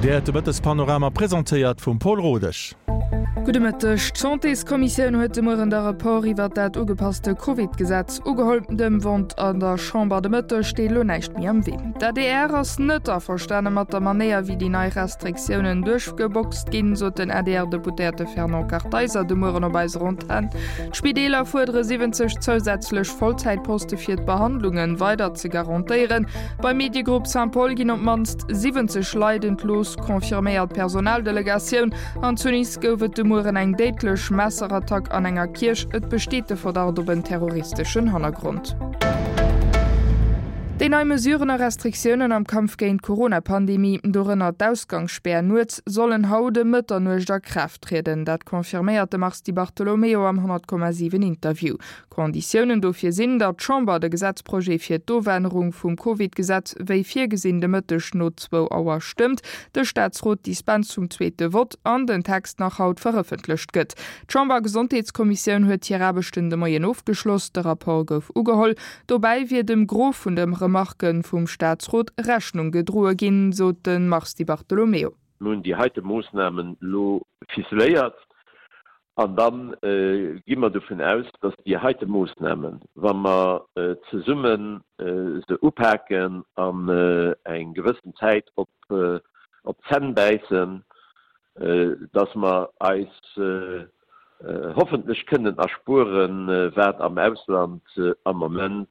Dir héiert de Mëttespanorama, presentéiert vum Paul Rodesch. Gudde Mëtteg. D'Santéskommissioun huet de Mueren de Rapport iwwert dat ugepasste Covid-Gesetz ugeholl. Dem Vott an der Chamber de Mëtteg steet elo näischt méi am Wee. D'ADR ass net averstane mat der Manéier, wéi déi nei Restriktiounen duerchgeboxt ginn, sot den ADR-Deputéierte Fernand Kartheiser de Mueren op eiser Antenn. D'Spideeler fuerdere 70 zousätzlech Vollzäitposte fir d'Behandlunge weider ze garantéieren. Beim Mediegrupp Saint-Paul ginn op d'mannst 70 Leit entlooss, confirméiert d'Personaldelegatioun. An zu Nice gouf et de Mueren eng déidlech Messerattack an enger Kierch. Et besteet de Verdacht op en terroristeschen Hannergrond. Déi nei Mesuren a Restriktiounen am Kampf géint d'Corona-Pandemie, dorënner d'Ausgangsspär nuets, sollen haut ëm Mëtternuecht a Kraaft trieden. Dat confirméiert de Mars Di Bartolomeo am 100,7 Interview. Konditiounen dofir sinn, datt d'Chamber de Gesetzprojet fir d'Ofännerung vum Covid-Gesetz wéi virgesinn de Mëtteg no zwou Auer stëmmt, de Staatsrot d'Dispens zum zweete Vott an den Text nach haut verëffentlecht gëtt. D'Chamber-Gesondheetskommissioun huet hir Aarbechten de Moien ofgeschloss. De Rapport gouf ugeholl. Dobäi wier dem Gros vun de Remarke vum Staatsrot Rechnung gedroe ginn, sot de Mars Di Bartolomeo. Mir hunn déi heite Moossnamen elo ficeléiert An da gi mer dovun aus, dass déi heite Moossnamen, wa mer zesumme se upaken an eng gewëssen Zäit op d'Zänn bäissen, dass mer eis hoffentlech kënnen erspueren, wat am Ausland am Moment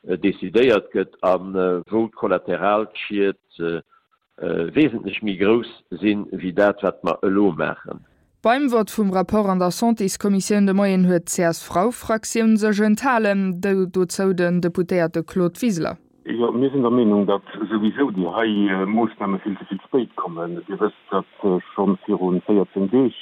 decidéiert gëtt a wou d'Kollateralschied wesentlech méi grouss sinn, wéi dat, wat mer elo maachen. Beim Vott vum Rapport an der Santéskommissioun de Moien huet d'CSV-Fraktioun sech enthalen, dozou den Deputéierte Claude Wiseler. Jo, mir sinn der Meenung, datt souwisou déi hei Moossname vill ze vill spéit kommen. Dir wësst, datt scho viru 14 Deeg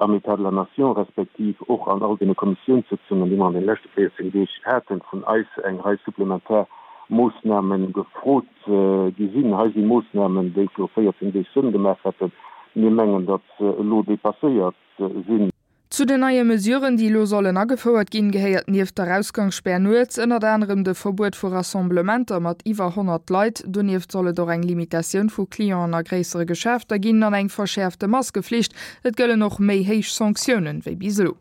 am État de la Nation respektiv och an all deene Kommissiounssëtzungen, déi mer an deene leschte 14 Deeg haten, vun eis eng Rei supplementar Moossname gefrot gi sinn. Hei si Moossnamen, déi viru 14 Deeg Sënn gemaach hätten. Mir mengen, datt se elo dépasséiert sinn. Zu den neie Mesuren, déi elo sollen agefouert ginn, gehéiert nieft der Ausgangsspär nuets ënnert anerem de Verbuet vu Rassemblementer mat iwwer 100 Leit. Donieft soll et och eng Limitatioun vu Clienten a gréissere Geschäfter ginn an eng verschäerfte Maskeflicht. Et gëllen och méi héich Sanktiounen wéi bis elo.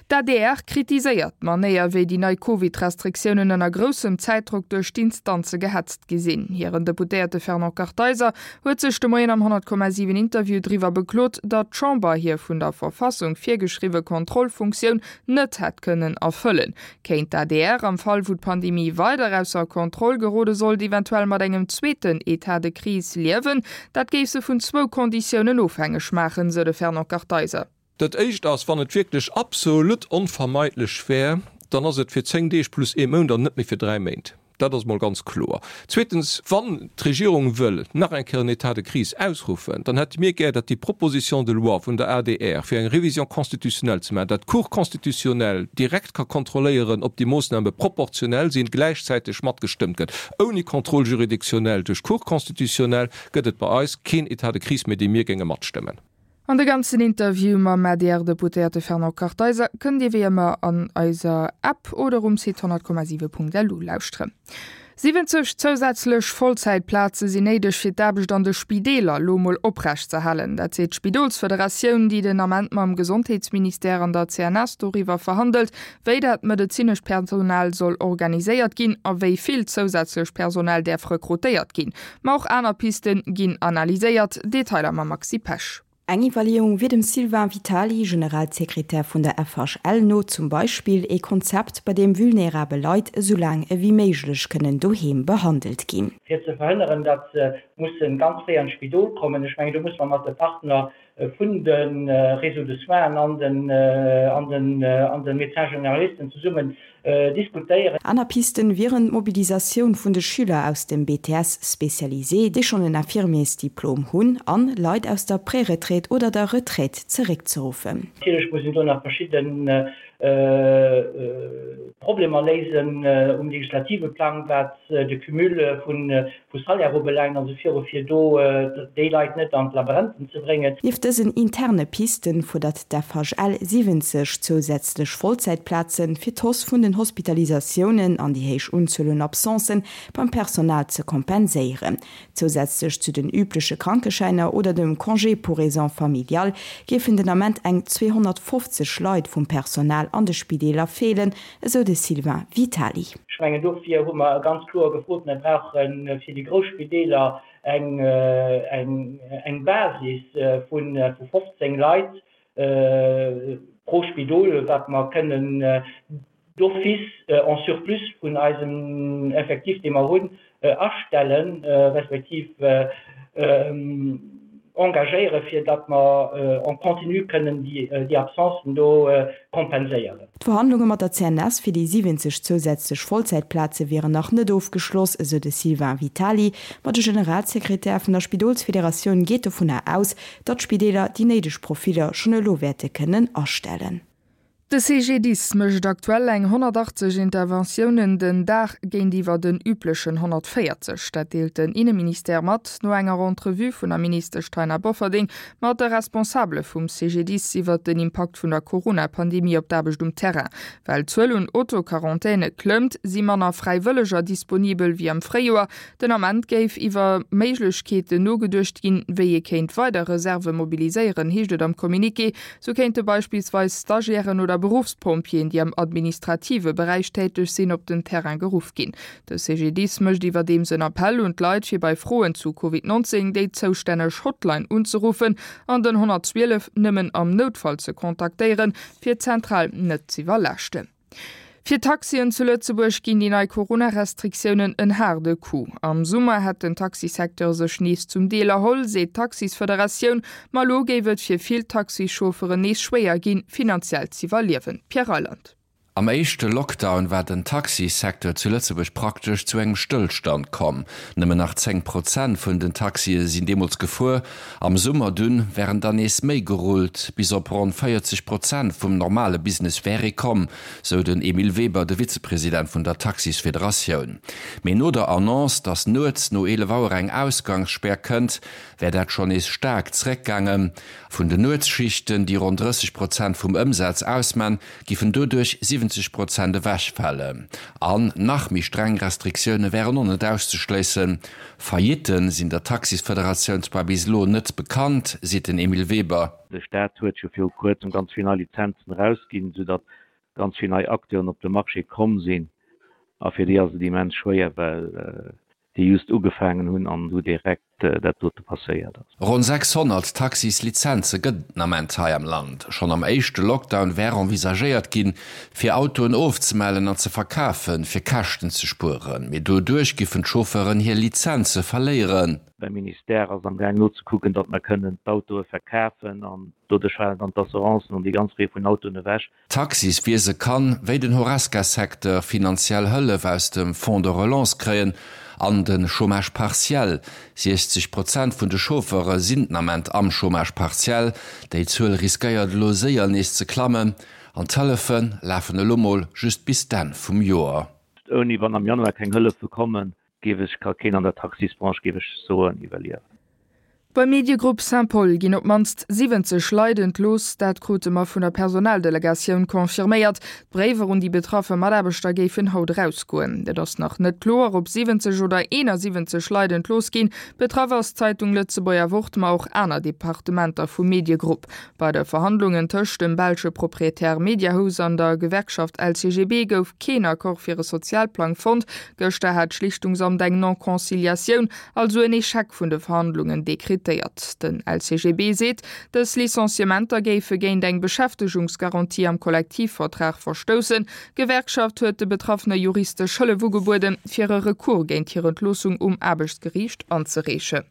D'ADR kritiséiert d'Manéier, wéi déi nei Covid-Restriktiounen ënner groussem Zäitdrock duerch d'Instanze gehetzt gi sinn. Hiren Deputéierte Fernand Kartheiser huet sech de Moien am 100,7 Interview driwwer beklot, datt d'Chamber hir vun der Verfassung virgeschriwwe Kontrollfunktioun net hätt kënnen erfëllen. Kéint d'ADR, am Fall wou d'Pandemie weider ausser Kontroll gerode sollt, eventuell mat engem zweeten Etat de crise liewen? Dat géif se vun zwou Konditiounen ofhängeg maachen, sou de Fernand Kartheiser. Dat éischt ass, wann et wierklech absolut onvermeidlech wär, dann ass et fir 10 Deeg plus ee Mount an net méi fir 3 Méint. Dat ass emol ganz kloer. Zweetens, wann d'Regierung wëll nach eng Kéier en État de crise ausruffen, dann hätte mir gär, datt déi Proposition de loi vun der adr, fir eng Révision constitutionnelle ze maachen, datt d'Cour constitutionnelle direkt ka kontrolléieren, ob déi Moossname proportionell sinn, gläichzäiteg matgestëmmt gëtt. Ouni Contrôle juridictionnel duerch d'Cour constitutionnelle gëtt et bei eis keen État de crise méi, dee mir géinge matstëmmen. An de ganzen Interview mam ADR-Deputéierte Fernand Kartheiser kënnt Dir wéi ëmmer an eiser App oder um Site 100,7.lu lauschteren. 70 zousätzlech Vollzäitplaze sinn néideg fir d'Aarbecht an de Spideeler lo mol oprecht z'erhalen. Dat seet d'Spidolsfederatioun, déi den Ament mam Gesondheetsministère an der CNS doriwwer verhandelt, wéi dat medezinescht Personal soll organiséiert ginn a wéi vill zousätzlech Personal däerf rekrutéiert ginn. Ma och aner Piste ginn analyséiert. Detailer mam Maxi Pesch. Eng Iwwerleeung wier dem Sylvain Vitali, Generalsekretär vun der FHL no, zum Beispill ee Konzept, bei deem vulnerabel Leit esou laang ewéi méiglech kënnen doheem behandelt ginn. Fir ze verhënneren, datt se musse ganz fréi an d'Spidol kommen. Ech mengen, do muss mer mat de Partner vun de Réseaux de soins an den an den an de Médecins généralisten zesummen diskutéieren. Aner Pisten wieren d'Mobilisatioun vun de Schüler aus dem BTS spécialisé, déi schonn en Infirmiersdiplom hunn, an Leit aus der Préretraite oder der Retraite zeréckzeruffen. Natierlech mussen do nach verschidde. Problemer léisen um legislative Plang, wat de Cumul vu Salaire ubelaangt an esou viru, fir do déi Leit net an d'Labyrinthen ze bréngen. Nieft dësen interne Pisten fuerdert d'FHL 70 zousätzlech Vollzäitplazen, fir d'Hausse vun den Hospitalisatiounen an déi héich Unzuel un Absencen beim Personal ze kompenséieren. Zousätzlech zu den übleche Krankeschäiner oder dem Congé pour raisons familiales géifen den Ament eng 250 Leit vum Personal an de Spideeler feelen, esou de Sylvain Vitali. Ech mengen, dofir hu mer ganz kloer gefrot, mir brauche fir déi grouss Spideeler eng Basis vu 15 Leit pro Spidol, wat mer kënnen d'office en surplus vun eisem Effectif, dee mer hunn, astellen, respektiv engagéieren, fir datt mer en continu kënnen déi Absencen do kompenséieren. D'Verhandlunge mat der CNS fir déi 70 zousätzlech Vollzäitplaze wieren nach net ofgeschloss, esou de Sylvain Vitali. Ma de Generalsekretär vun der Spidolsfederatioun geet dovunner aus, datt d'Spideeler déi néideg Profiller schonn elo wäerte kënnen astellen. De CGDIS mécht aktuell eng 180 Interventiounen den Dag géintiwwer den üblechen 140. Dat deelt den Inneministère mat, no enger Entrevue vun der Ministesch Taina Bofferding mat de Responsabele vum CGDIS iwwert den Impakt vun der Corona-Pandemie op d'Aarbecht um Terrain. Well d'Zuel un Auto-Quarantäne klëmmt, si manner Fräiwëlleger disponibel wéi am Fréijoer. Den Ament géif iwwer Méiglechkeeten nogeduecht ginn, wéi ee kéint weider Reserve mobiliséieren, heescht et am Communiqué. Sou kéinte beispillsweis Stagiairen oder Beruffspompjeeën, déi am administrative Beräich täteg sinn, op den Terrain geruff ginn. De CGDIS mécht iwwerdeems en Appell un d'Leit, fir bei Froen zu Covid 19 déi zoustänneg Hotline unzeruffen an den 112 nëmmen am Noutfall ze kontaktéieren, fir d'Zentral net z'iwwerlaaschten. Fir d'Taxien zu Lëtzebuerg ginn déi nei Corona-Restriktiounen en haarde Coup. Am Summer hätt den Taxisecteur sech nees zum Deel erholl, seet d'Taxisfederatioun. Ma elo géif et fir vill Taxichaufferen nees schwéier ginn, finanziell z'iwwerliewen. Pierre Reyland. Am éischte Lockdown war den Taxisecteur zu Lëtzebuerg praktesch zu engem Stëllstand komm. Nëmmen nach 10 Prozent vun den Taxie sinn deemools gefuer. Am Summer dunn wären der nees méi gerullt, bis op ronn 40 Prozent vum normale Business wär ee komm, sou den Emile Weber, de Vizepresident vun der Taxisfederatioun. Mee no der Annonce, datt nuets no 11 Auer eng Ausgangsspär kënnt, wär dat schonn nees staark zeréckgaangen. Vun den Nuetsschichten, déi ronn 30 Prozent vum Ëmsaz ausman, giffen doduerch 70 Prozent ewechfalen. An nach méi streng Restriktioune wären och net auszeschléissen. Faillitte sinn der Taxisfederatioun zwar bis elo net bekannt, seet den Emile Weber. De Staat huet jo viru kuerzem ganz vill nei Lizenzen erausginn, soudatt ganz vill nei Acteuren op de Marché komm sinn. A fir déi ass et immens schwéier, well déi just ugefaangen hunn an du direkt dat dote passéiert ass. Ronn 600 Taxislizenze gëtt et den Ament hei am Land. Schonn am éischte Lockdown wär envisagéiert ginn, fir Autoen ofzemellen an ze verkafen, fir Käschten ze spueren. Mee doduerch giffen d'Chauffeuren hir Lizenze verléieren. Mäi Ministère ass am gaang nozekucken, datt mer kënnen d'Autoe verkafen an doduerch falen dann d'Assurancen an déi ganz Rei vun Autoen ewech. D'Taxiswiese kann, wéi den Horesca-Secteur, finanziell Hëllef aus dem Fonds de relance kréien an de Chômage partiel. 60 Prozent vun de Chauffeure sinn den Ament am Chômage partiel. Déi Zuel riskéiert elo séier nees ze klammen an d'Hëllefe lafen elo mol just bis d'Enn vum Joer. Ouni wann am Januar keng Hëllefe kommen, géif ech, ka keen an der Taxisbranche, géif ech soen, iwwerliewen. Beim Mediegrupp Saint-Paul ginn op d'mannst 70 Leit entlooss. Dat krute mer vun der Personaldelegatioun confirméiert. D'Bréiwer un déi betraffe Mataarbechter géifen haut erausgoen. Et ass nach net kloer, ob 70 oder 71 Leit entlooss ginn. Betraff ass d'Zeitung Lëtzebuerger Wort, ma och aner Departementer vum Mediegrupp. Bei de Verhandlungen tëscht dem belsche Proprietär Mediahuis an der Gewerkschaft LCGB gouf keen Accord fir e Sozialplang fonnt. Gëschter hat d'Schlichtungsamt eng Non-Conciliatioun, also en Echec vun de Verhandlungen dekretéiert. Den LCGB seet, dës Licenciementer géife géint eng Beschäftegungsgarantie am Kollektivvertrag verstoussen. D'Gewerkschaft huet de Betraffene juristesch Hëllef ugebueden, fir e Recours géint hir Entloossung um Aarbechtsgeriicht anzereechen.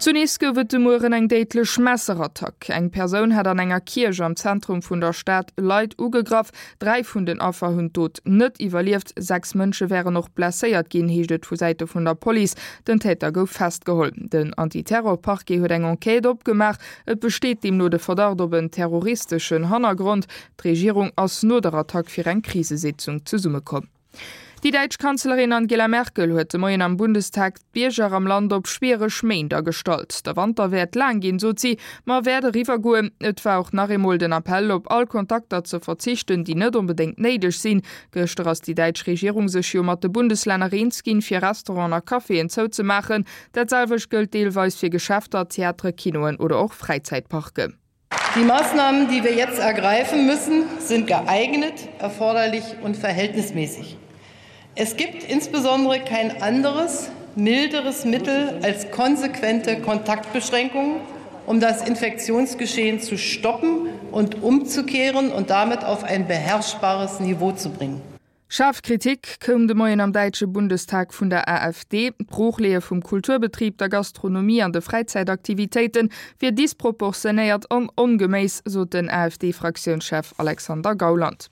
Zu Nice gouf et de Mueren eng déidlech Messerattack. Eng Persoun hat an enger Kierch am Zentrum vun der Stad Leit ugegraff. 3 vun den Affer hunn d'Dot net iwwerlieft, 6 Mënsche wären och blesséiert ginn, heescht et vu Säite vun der Police. Den Täter gouf festgeholl. Den Antiterror-Parquet huet eng Enquête opgemaach. Et besteet deemno de Verdacht op en terroristeschen Hannergrond. D'Regierung ass no der Attack fir eng Krisesitzung zesummekomm. Déi däitsch Kanzlerin Angela Merkel huet de Moien am Bundestag d'Bierger am Land op schwiereg Méint agestallt. Der Wanter wäert laang ginn, sot si, ma wäert eriwwer goen. Et war och nach eemol den Appell, op all Kontakter ze verzichten, déi net onbedéngt néideg sinn. Gëschter ass déi däitsch Regierung sech jo mat de Bundeslänner eens ginn, fir Restauranten a Caféen zouzemaachen. Dat selwecht gëllt deelweis fir Geschäfter, Theatere, Kinoen oder och Fräizäitparken. Die Maßnahmen, die wir jetzt ergreifen müssen, sind geeignet, erforderlich und verhältnismäßig. Es gibt insbesondere kein anderes, milderes Mittel als konsequente Kontaktbeschränkungen, um das Infektionsgeschehen zu stoppen und umzukehren und damit auf ein beherrschbares Niveau zu bringen. Schaarf Kritik koum de Moien am däitsche Bundestag vun der AfD. D'Broochleeë vum Kulturbetrib, der Gastronomie an de Fräizäitaktivitéite wier disproportionéiert an ongeméiss, sot den AfD-Fraktiounschef Alexander Gauland.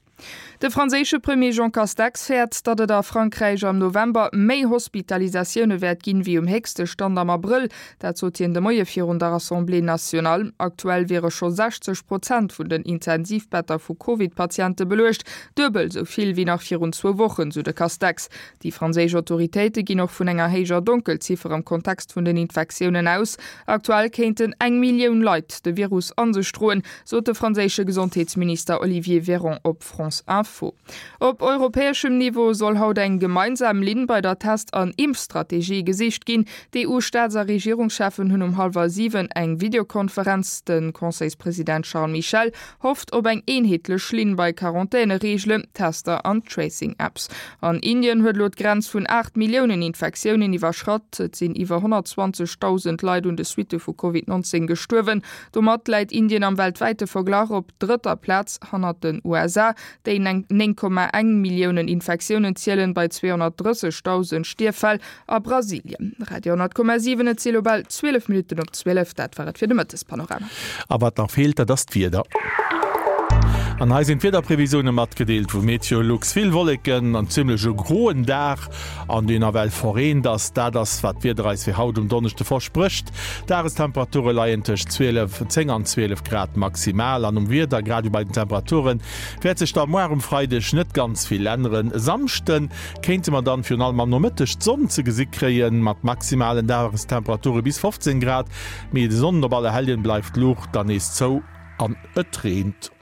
De franséische Premier Jean Castex fäert, datt et a Frankräich am November méi Hospitalisatioune wäert ginn, wéi um héchste Stand am Abrëll. Dat sot hien de Moie virun der Assemblée nationale. Aktuell wiere scho 60 Prozent vun den Intensivbetter vu Covid-Patiente beluecht, duebel esou vill wéi nach virun zwou Wochen, sou de Castex. Déi franséisch Autoritéite ginn och vun enger héijer Donkelziffer am Kontext vun den Infektiounen aus. Aktuell kéinten eng Millioun Leit de Virus a sech droen, sot de franséische Gesondheetsminister Olivier Véran op France Info. Op europäeschem Niveau soll haut eng gemeinsam Linn bei der Test an Impfstrategie gesicht ginn. D'EU-Staats a Regierungscheffen hunn um hallwer 7 eng Videokonferenz. De Conseilspresident Charles Michel hofft op eng eenheetlech Linn bei Quarantänereegelen, Tester an Tracing-Apps. An Indien huet elo d'Grenz vun 8 Milliounen Infektiounen iwwerschratt. Et sinn iwwer 120.000 Leit un de Suitte vu Covid 19 gestuerwen. Domat läit Indien am weltwäite Verglach op drëtter Plaz hannert den USA, déi 9,1 Milliounen Infektiounen zielen, bei 230.000 Stierffäll, a Brasilien. Radio 10,7 Et si lo bal 12 Minutten op 12. Dat war et fir de Mëttespanorama. A wat nach feelt, dat ass d'Wieder. An hei sinn d'Wiederprevisioune matgedeelt vu Meteolux. Vill Wolleken an zimmlech e groen Dag, an deen nawell verreent ass. Dat ass, wat d'Wieder eis fir haut um Donneschde versprécht. D'Dagestemperature leien tëscht 12, 10 an 12 Grad maximal. An um Wieder, grad ewéi bei den Temperaturen, wäert sech da moar um Freideg net ganz vill änneren. E Samschde kéinte mer dann virun allem am Nomëtteg d'Sonn ze gesi kréien, mat maximalen Dagestemperature bis 15 Grad. Mee de Sonnen op Allerhelljen bleift d'Luucht dann nees zou an et reent.